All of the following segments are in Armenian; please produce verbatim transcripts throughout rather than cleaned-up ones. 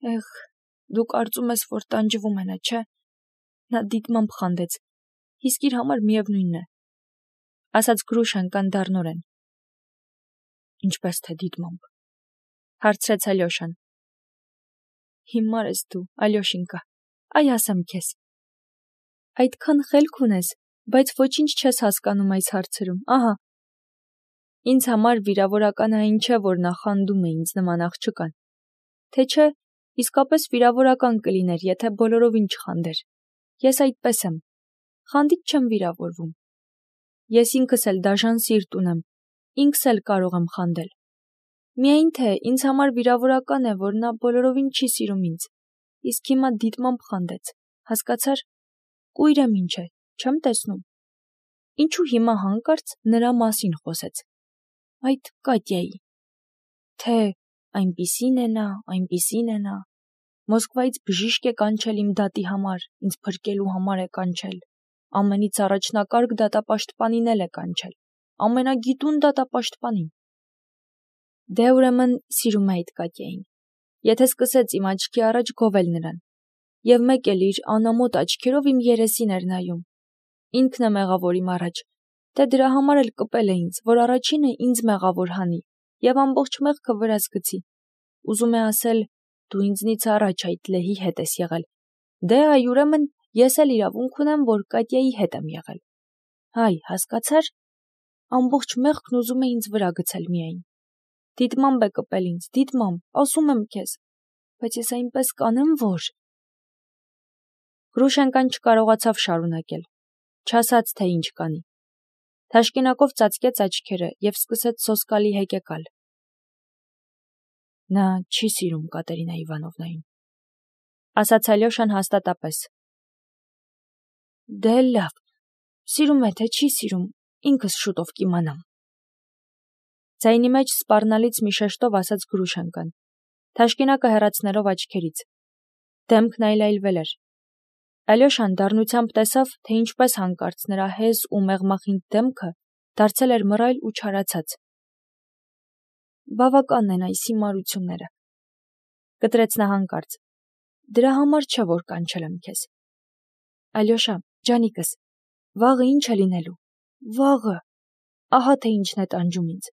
Էղ, դու կարծում ես, որ տանջվում է նա, չէ՞։ Նա դիտմամբ խանդեց։ Իսկ իր համար միևնույնն է, ասաց Գրուշենկան դառնորեն։ Ինչպես թե դիտմամբ, հարցրեց Ալյոշան։ Հիմար ես դու, Ալյոշինկա, այ ասեմ քեզ։ Այդքան խելք ունես, բայց ոչինչ չես հասկանում այս հարցերում, ահա։ Ինձ համար վիրավորական այն չէ, որ նա խանդում է ինձ նման աղջկան, թե չէ, իսկապես վիրավորական կլիներ, եթե բոլորովին չխանդեր։ Ես այդպես եմ, խանդից չեմ վիրավորվում։ Ես ինքս էլ դաժան սիրտ ունեմ, ինքս էլ կարող եմ խանդել։ Միայն թե ինձ համար վիրավորական է, որ նա բոլորովին չի սիրում ինձ, իսկ հիմա դիտմամբ խանդեց, հասկացար, կույր եմ ինչ է, չեմ տեսնում։ Ինչու հիմա հանկարծ նրա մասին խոսեց։ Այդ Կատյայի։ Թե այնպիսին է նա, այնպիսին է նա։ Մոսկվայից բժիշկ է կանչել իմ դատի համար, ինձ փրկելու համար է կանչել։ Ամենից առաջնակարգ դատապաշտպանին էլ է կանչել, ամենագիտուն դատապաշտպանին։ Դե ուրեմն սիրում է այդ Կատյային։ Եթե սկսեց իմ աչքի առաջ գովել նրան, եւ մեկ էլ իր անամոթ աչքերով իմ երեսին էր նայում։ Ինքն է մեղավոր իմ առաջ, թե դրա համար էլ կպել է ինձ, որ առաջինը ինձ մեղավոր հանի եւ ամբողջ մեղքը վրաս գցի։ Ուզում է ասել, դու ինձնից առաջ այդ լեհի հետ ես եղել։ Դե այ ուրեմն ես էլ իրավունք ունեմ, որ Կատյայի հետ եմ եղել։ Հայ, հասկացար։ Ամբողջ մեղքն ուզում է ինձ վրա գցել միայն։ Դիտմամբ է կպել ինձ, դիտմամբ, ասում եմ քեզ, բայց ես այնպես կանեմ, որ… Գրուշենկան չկարողացավ շարունակել, չասաց, թե ինչ կանի։ Թաշկինակով ծածկեց աչքերը եւ սկսեց սոսկալի հեկեկալ։ Նա չի սիրում Կատերինա Իվանովնային, ասաց Ալյոշան հաստատապես։ Դե լավ, սիրում է, թե չի սիրում, ինքս շուտով կիմանամ։ Ձայնի մեջ սպառնալից մի շեշտով ասաց Գրուշենկան, թաշկինակը հեռացնելով աչքերից։ Դեմքն այլայլվել էր։ Ալյոշան դառնությամբ տեսավ, թե ինչպես հանկարծ նրա հեզ ու մեղմախինդ դեմքը դարձել էր մռայլ ու չարացած։ Բավականն են այս հիմարությունները, կտրեց նա հանկարծ։ Դրա համար չէ, որ կանչել եմ քեզ։ Ալյոշա, ջանիկս, վաղը ինչ է լինելու։ Վաղը, ահա թե ինչն է տանջում ինձ։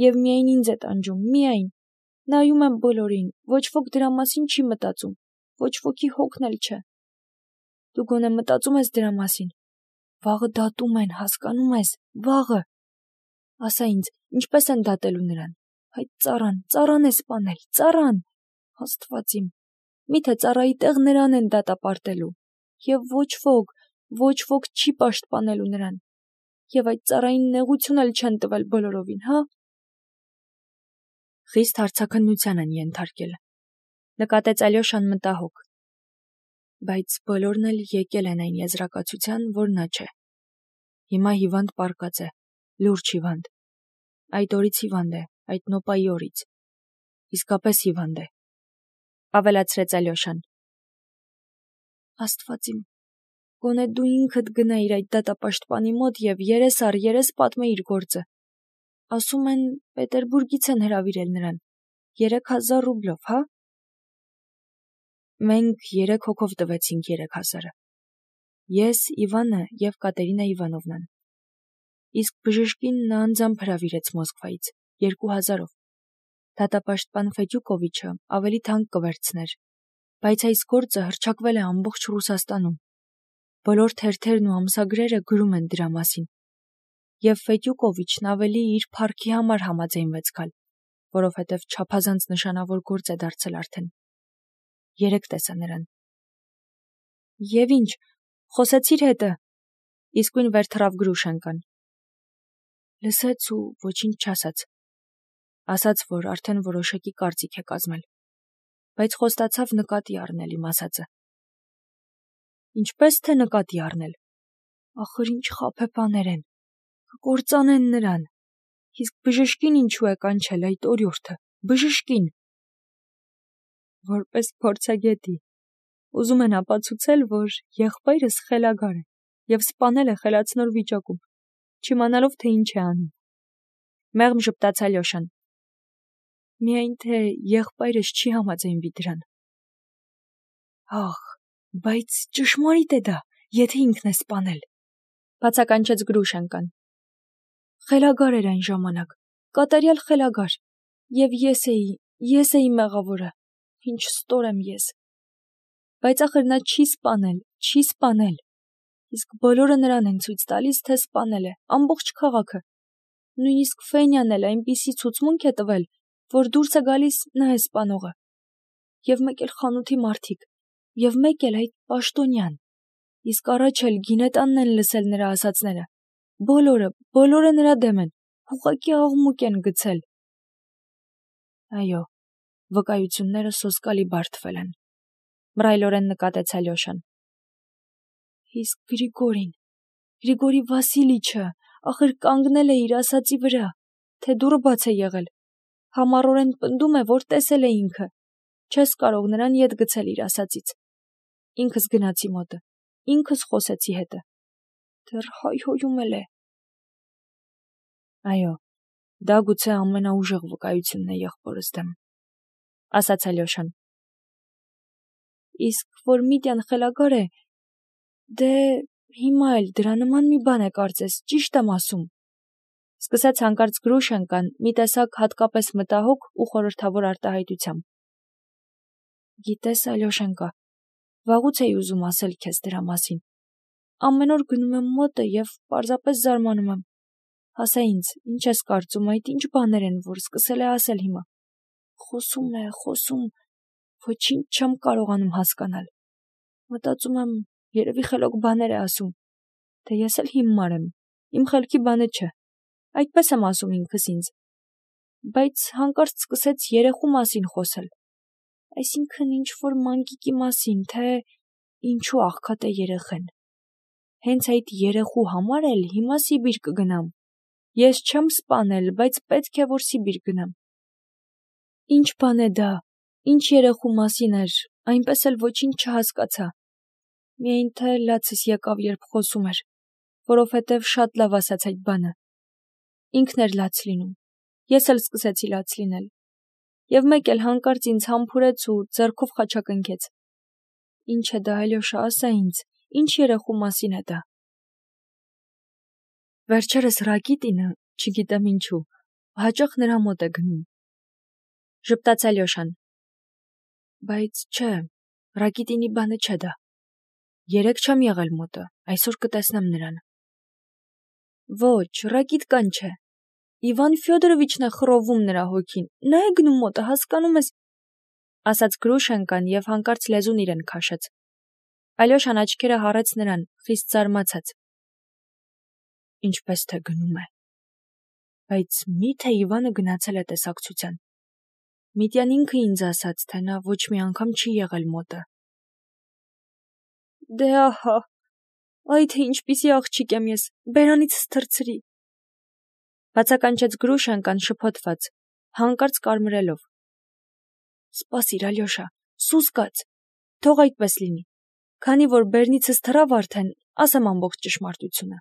Եվ միայն ինձ է տանջում, միայն։ Նայում եմ բոլորին, ոչ ոք դրա մասին չի մտածում, ոչ ոքի հոգն էլ չէ։ Դու գոնե մտածում ես դրա մասին։ Վաղը դատում են, հասկանում ես, վաղը։ Ասա ինձ, ինչպես են դատելու նրան։ Այդ ծառան, ծառան է սպանել, ծառան։ Աստված իմ, միթե ծառայի տեղ նրան են դատապարտելու։ Եվ ոչ ոք, ոչ ոք չի պաշտպանելու նրան։ Եվ այդ ծառային նեղություն էլ չեն տվել բոլորովին, հա։ Խիստ հարցաքննության են ենթարկել, նկատեց Ալյոշան մտահոգ։ Բայց բոլորն էլ եկել են այն եզրակացության, որ նա չէ։ Հիմա հիվանդ պառկած է, լուրջ հիվանդ։ Այդ օրից հիվանդ է, այդ նոպայի օրից։ Իսկապես հիվանդ է, ավելացրեց Ալյոշան։ Աստված իմ, գոնե դու ինքդ գնայիր այդ դատապաշտպանի մոտ եւ երես առ երես պատմեիր գործը։ Ասում են, Պետերբուրգից են հրավիրել նրան, երեք հազար ռուբլով, հա։ Մենք երեք հոգով տվեցինք երեք հազարը։ Ես, Իվանը եւ Կատերինա Իվանովնան։ Իսկ բժշկին նա անձամբ հրավիրեց Մոսկվայից, երկու հազարով։ Դատապաշտպան Ֆեդյուկովիչը ավելի թանկ կվերցներ, բայց այս գործը հռչակվել է ամբողջ Ռուսաստանում։ Բոլոր թերթերն ու ամսագրերը գրում են դրա մասին։ Եվ Ֆեդյուկովիչն ավելի իր փառքի համար համաձայնվեց գալ, որովհետև չափազանց նշանավոր գործ է դարձել արդեն։ Երեք տեսա նրան։ Եվ ինչ, խոսեցիր հետը, իսկույն վեր թռավ Գրուշենկան։ Լսեց ու ոչինչ չասաց։ Ասաց, որ արդեն որոշակի կարծիք է կազմել, բայց խոստացավ նկատի առնել իմ ասածը։ Ինչպես թե նկատի առնել։ Ախր ինչ խաբեբաներ են, կկործանեն նրան։ Իսկ բժշկին ինչու է կանչել այդ օրիորդը, բժշկին։ Որպես փորձագետի, ուզում են ապացուցել, որ եղբայրս խելագար է եւ սպանել է խելացնոր վիճակում, չիմանալով թե ինչ է անում։ Մեղմ ժպտաց Ալյոշան։ Միայն թե եղբայրս չի համաձայնվի դրան։ Ահ, բայց ճշմարիտ է դա, եթե ինքն է սպանել, բացականչեց Գրուշենկան։ Խելագար էր այն ժամանակ, կատարյալ խելագար, եւ ես էի, ես էի մեղավորը, ինչ ստոր եմ ես։ Բայց ախր նա չի սպանել, չի սպանել, իսկ բոլորը նրան են ցույց տալիս, թե սպանել է, ամբողջ քաղաքը։ Նույնիսկ Ֆենյան էլ այնպիսի ցուցմունք է տվել, որ դուրս է գալիս նա է սպանողը։ Եվ մեկ էլ խանութի մարդիկ, եւ մեկ էլ այդ պաշտոնյան, իսկ առաջ էլ գինետանն են լսել նրա ասածները, բոլորը, բոլորը նրա դեմ են, ուղղակի աղմուկ են գցել։ Այո, վկայությունները սոսկալի բարդվել են, մռայլորեն նկատեց Ալյոշան։ Իսկ Գրիգորին, Գրիգորի Վասիլիչը, ախր կանգնել է իր ասածի վրա, թե դուռը բաց է եղել, համառորեն պնդում է, որ տեսել է ինքը, չես կարող նրան ետ գցել իր ասածից։ Ինքս գնացի մոտը, ինքս խոսեցի հետը, դեռ հայհոյում էլ է։ Այո, դա գուցե ամենաուժեղ վկայությունն է եղբորս դեմ, ասաց Ալյոշան։ Իսկ որ Միտյան խելագար է, դե հիմա էլ դրա նման մի բան է կարծես, ճիշտ եմ ասում, սկսեց հանկարծ Գրուշենկան մի տեսակ հատկապես մտահոգ ու խորհրդավոր արտահայտությամբ։ Գիտես, Ալյոշենկա, վաղուց էի ուզում ասել քեզ դրա մասին։ Ամեն օր գնում եմ մոտը եւ պարզապես զարմանում եմ։ Ասա ինձ, ինչ ես կարծում, այդ ինչ բաներ են, որ սկսել է ասել հիմա։ Խոսում է, խոսում, ոչինչ չեմ կարողանում հասկանալ։ Մտածում եմ, երևի խելոք բաներ է ասում, թե ես էլ հիմար եմ, իմ խելքի բանը չէ, այդպես եմ ասում ինքս ինձ, բայց հանկարծ սկսեց երեխու մասին խոսել, այսինքն ինչ-որ մանկիկի մասին, թե ինչու աղքատ է երեխեն, հենց այդ երեխու համար էլ հիմա Սիբիր կգնամ, ես չեմ սպանել, բայց պետք է, որ Սիբիր գնամ։ Ինչ բան է դա, ինչ երեխու մասին էր, այնպես էլ ոչինչ չհասկացա, միայն թե լացս եկավ, երբ խոսում էր, որովհետև շատ լավ ասաց այդ բանը։ Ինքն էր լաց լինում, ես էլ սկսեցի լաց լինել, եւ մեկ էլ հանկարծ ինձ համբուրեց ու ձեռքով խաչակնքեց։ Ինչ է դա, Ալյոշա, ասա ինձ, ինչ երեխու մասին է դա։ Վերջերս Ռակիտինը, չգիտեմ ինչու, հաճախ նրա մոտ է գնում, ժպտաց Ալյոշան։ Բայց չէ, Ռակիտինի բանը չէ դա։ Երեկ չեմ եղել մոտը, այսօր կտեսնեմ նրան։ Ոչ, Ռակիտկան չէ։ Իվան Ֆյոդորովիչն է խռովում նրա հոգին, նա է գնում մոտը, հասկանում ես, ասաց Գրուշենկան եւ հանկարծ լեզուն իրեն քաշեց։ Ալյոշան աչքերը հառեց նրան, խիստ զարմացած։ Ինչպես թե գնում է։ Բայց մի՞թե Իվանը գնացել է տեսակցության։ Միտյան ինքը ինձ ասաց, թե նա ոչ մի անգամ չի եղել մոտը։ Դե ահա, այ թե ինչպիսի աղջիկ եմ ես, բերանիցս թռցրի։ Բացականչեց Գրուշենկան շփոթված, հանկարծ կարմրելով։ Սպասիր, Ալյոշա, սուս կաց, թող այդպես լինի, քանի որ բերնիցս թռավ արդեն, ասեմ ամբողջ ճշմարտությունը։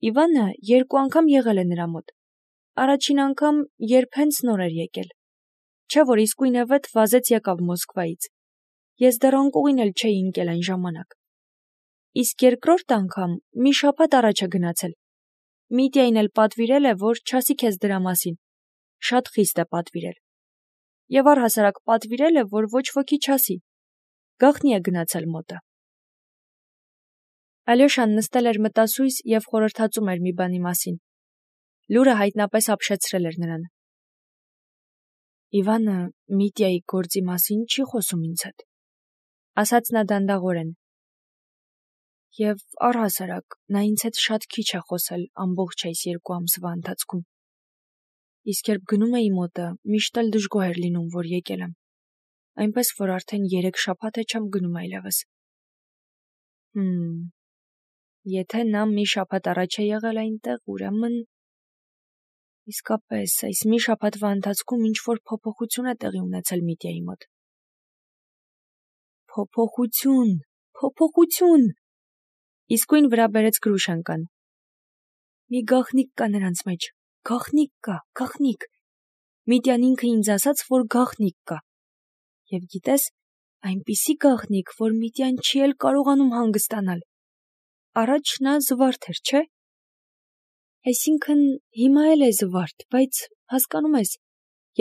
Իվանը երկու անգամ եղել է նրա մոտ։ Առաջին անգամ, երբ հենց նոր էր եկել։ Չէ որ իսկույնևեթ վազեց եկավ Մոսկվայից։ Ես դեռ անկողին էլ չէի ընկել այն ժամանակ։ Իսկ երկրորդ անգամ մի շաբաթ առաջ է գնացել։ Միտյային էլ պատվիրել է, որ չասի քեզ դրա մասին։ Շատ խիստ է պատվիրել։ Եվ առհասարակ պատվիրել է, որ ոչ ոքի չասի։ Գաղտնի է գնացել մոտը։ Ալյոշան նստել էր մտասույս եւ խորհրդածում էր մի բանի մասին։ Լուրը հայտնապես ապշեցրել էր նրան։ Իվանը Միտյայի գործի մասին չի խոսում ինձ հետ, ասաց նա դանդաղորեն։ Եվ առհասարակ նա ինձ հետ շատ քիչ է խոսել ամբողջ այս երկու ամսվա ընթացքում։ Իսկ երբ գնում էի մոտը, միշտ էլ դժգոհ էր լինում, որ եկել եմ, այնպես որ արդեն երեք շաբաթ է չեմ գնում այլևս։ Հմ, եթե նա մի շաբաթ առաջ է եղել այնտեղ, ուրեմն… Իսկապես, այս մի շաբաթվա ընթացքում ինչ-որ փոփոխություն է տեղի ունեցել Միտյայի մոտ։ Փոփոխություն, փոփոխություն… Իսկույն վրա բերեց Գրուշենկան։ Մի գաղտնիք կա նրանց մեջ, գաղտնիք կա, գաղտնիք։ Միտյան ինքը ինձ ասաց, որ գաղտնիք կա։ Եվ գիտես, Այնպիսի գաղտնիք, որ Միտյան չի էլ կարողանում հանգստանալ։ Առաջ նա զվարթ էր, չէ՞։ Այսինքն հիմա էլ է զվարթ, բայց հասկանում ես,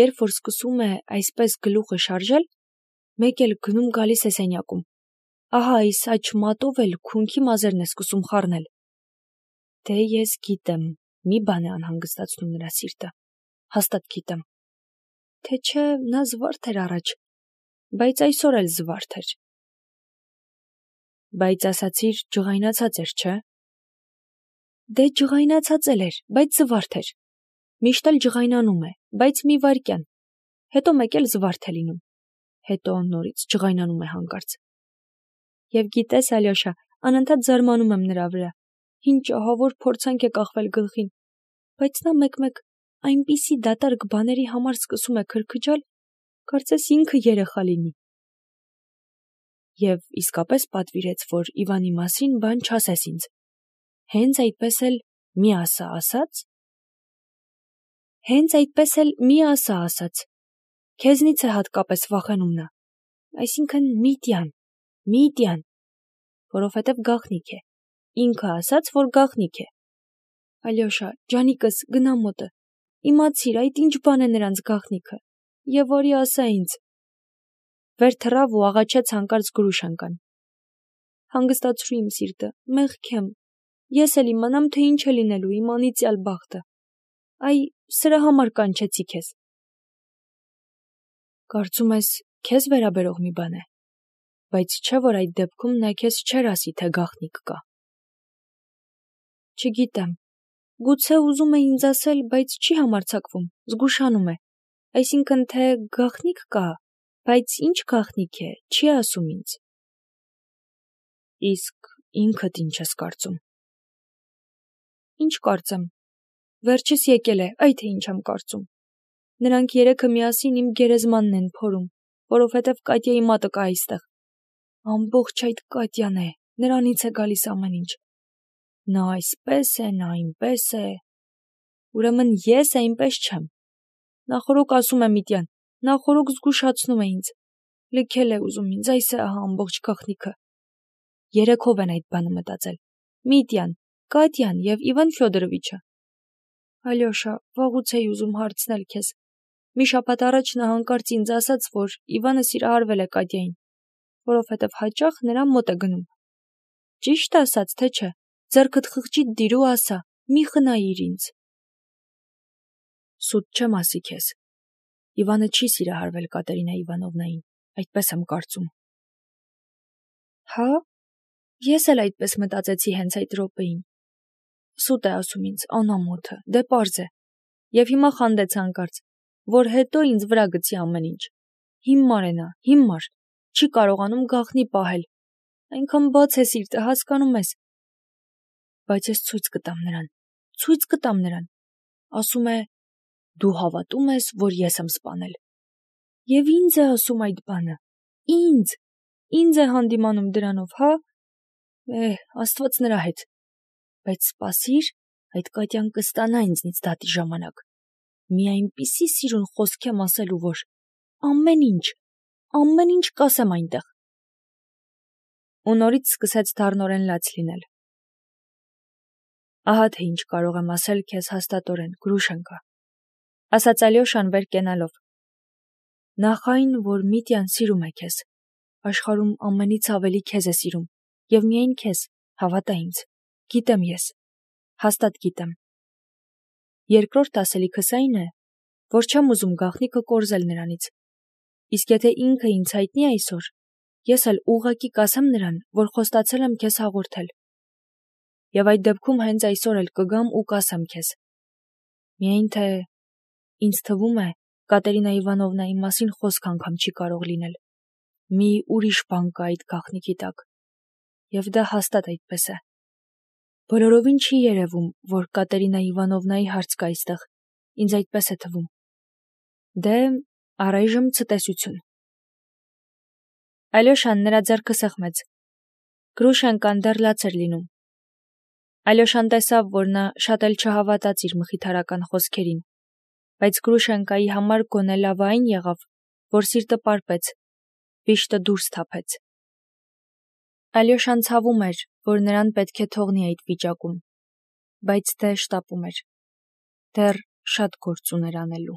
երբ որ սկսում է այսպես գլուխը շարժել, մեկ էլ գնում գալիս է սենյակում։ Ահա այս աջ մատով էլ քունքի մազերն է սկսում խառնել։ Դե ես գիտեմ, մի բան է անհանգստացնում նրա սիրտը, հաստատ գիտեմ։ Թե չէ նա զվարթ էր առաջ, բայց այսօր էլ զվարթ էր։ Բայց ասացիր ջղայնացած էր, չէ՞։ Դե ջղայնացած էլ էր, բայց զվարթ էր։ Միշտ էլ ջղայնանում է, բայց մի վայրկյան, հետո մեկ էլ զվարթ է լինում, հետո նորից ջղայնանում է հանկարծ։ Եվ գիտես, Ալյոշա, անընդհատ զարմանում եմ նրա վրա, ինչ ահավոր փորձանք է կախվել գլխին, բայց նա մեկ-մեկ այնպիսի դատարկ բաների համար սկսում է քրքջալ, կարծես ինքը երեխա լինի։ Եվ իսկապես պատվիրեց, որ Իվանի մասին բան չասես ինձ։ Հենց այդպես էլ մի ասա ասաց։ Հենց այդպես էլ մի ասա ասաց։ Քեզնից է հատկապես վախենում նա։ Այսինքն Միտյան, Միտյան, որովհետև գաղտնիք է։ Ինքը ասաց, որ գաղտնիք է։ Ալյոշա, ջանիկս, գնա մոտը։ Իմացիր, այդ ինչ բան է նրանց գաղտնիքը։ Եվ որի ասա ինձ։ Վեր թռավ ու աղաչեց հանկարծ Գրուշենկան։ Հանգստացրու իմ սիրտը, մեղք եմ։ Ես էլ իմանամ, թե ինչ է լինելու իմ անիծյալ բախտը։ Այ, սրա համար կանչեցի քեզ։ Կարծում ես, քեզ վերաբերող մի բան է, բայց չէ՞ որ այդ դեպքում նա քեզ չէր ասի, թե գաղտնիք կա։ Չգիտեմ, գուցե ուզում է ինձ ասել, բայց չի համարձակվում, զգուշանում է, այսինքն թե գաղտնիք կա, բայց ինչ գաղտնիք է, չի ասում ինձ։ Իսկ ինքդ ինչ ես կարծում։ Ինչ կարծեմ։ Վերջս եկել է, այ թե ինչ եմ կարծում։ Նրանք երեքը միասին իմ գերեզմանն են փորում, որովհետև Կատյայի մատը կա այստեղ։ Ամբողջ այդ Կատյան է, նրանից է գալիս ամեն ինչ։ Նա այսպես է, նա այնպես է։ Ուրեմն ես այնպես չեմ։ Նախորոք ասում է Միտյան, նախորոք զգուշացնում է ինձ։ Լքել է ուզում ինձ, այս է ահա ամբողջ գաղտնիքը։ Երեքով են այդ բանը մտածել։ Միտյան, Կատյան և Իվան Ֆյոդորովիչը։ Ալյոշա, վաղուց էի ուզում հարցնել քեզ։ Մի շաբաթ առաջ նա հանկարծ ինձ ասաց, որ Իվանը սիրահարվել է Կատյային, որովհետև հաճախ նրան մոտ է գնում։ Ճիշտ ասաց, թե չէ։ Ձեռքդ խղճիդ դիր ու ասա, մի խնայիր ինձ։ Սուտ չեմ ասի քեզ։ Իվանը չի սիրահարվել Կատերինա Իվանովնային, այդպես եմ կարծում։ Հա՞։ Ես էլ այդպես մտածեցի հենց այդ րոպեին։ Սուտ է ասում ինձ, անամոթը, դե պարզ է։ Եվ հիմա խանդեց հանկարծ, որ հետո ինձ վրա գցի ամեն ինչ։ Հիմար է նա, հիմար, չի կարողանում գաղտնի պահել։ Այնքան բաց է սիրտը, հասկանում ես։ Բայց ես ցույց կտամ նրան, ցույց կտամ նրան։ Ասում է, դու հավատում ես, որ ես եմ սպանել։ Եվ ինձ է ասում այդ բանը։ Ինձ, ինձ է հանդիմանում դրանով, հա։ Էհ, Աստված նրա հետ։ Բայց սպասիր, այդ Կատյան կստանա ինձնից դատի ժամանակ։ Մի այնպիսի սիրուն խոսք եմ ասելու, որ ամեն ինչ, ամեն ինչ կասեմ այնտեղ։ Ու նորից սկսեց դառնորեն լաց լինել։ Ահա թե ինչ կարող եմ ասել քեզ հաստատորեն, Գրուշենկա, ասաց Ալյոշան վեր կենալով։ Նախ այն, որ Միտյան սիրում է քեզ, աշխարհում ամենից ավելի քեզ է սիրում, եւ միայն քեզ, հավատա ինձ, գիտեմ ես, հաստատ գիտեմ։ Երկրորդ ասելիքս այն է, որ չեմ ուզում գաղտնիքը կորզել նրանից։ Իսկ եթե ինքը ինձ հայտնի այսօր, ես էլ ուղղակի կասեմ նրան, որ խոստացել եմ քեզ հաղորդել։ Եվ այդ դեպքում հենց այսօր էլ կգամ ու կասեմ քեզ։ Միայն թե ինձ թվում է, Կատերինա Իվանովնայի մասին խոսք անգամ չի կարող լինել։ Մի ուրիշ բան կա այդ գաղտնիքի տակ։ Եվ դա հաստատ այդպես է։ Բոլորովին չի երևում, որ Կատերինա Իվանովնայի հարց կա այստեղ։ Ինձ այդպես է թվում։ Դե, առայժմ ցտեսություն։ Ալյոշան նրա ձեռքը սեղմեց։ Գրուշենկան դեռ լաց էր լինում։ Ալյոշան տեսավ, որ նա շատ էլ չհավատաց իր մխիթարական խոսքերին, բայց Գրուշենկայի համար գոնե լավ այն եղավ, որ սիրտը պարպեց, Վիշտը դուրս թափեց։ Ալյոշան ցավում էր, որ նրան պետք է թողնի այդ վիճակում, բայց դե շտապում էր։ Դեռ շատ գործ ուներ անելու։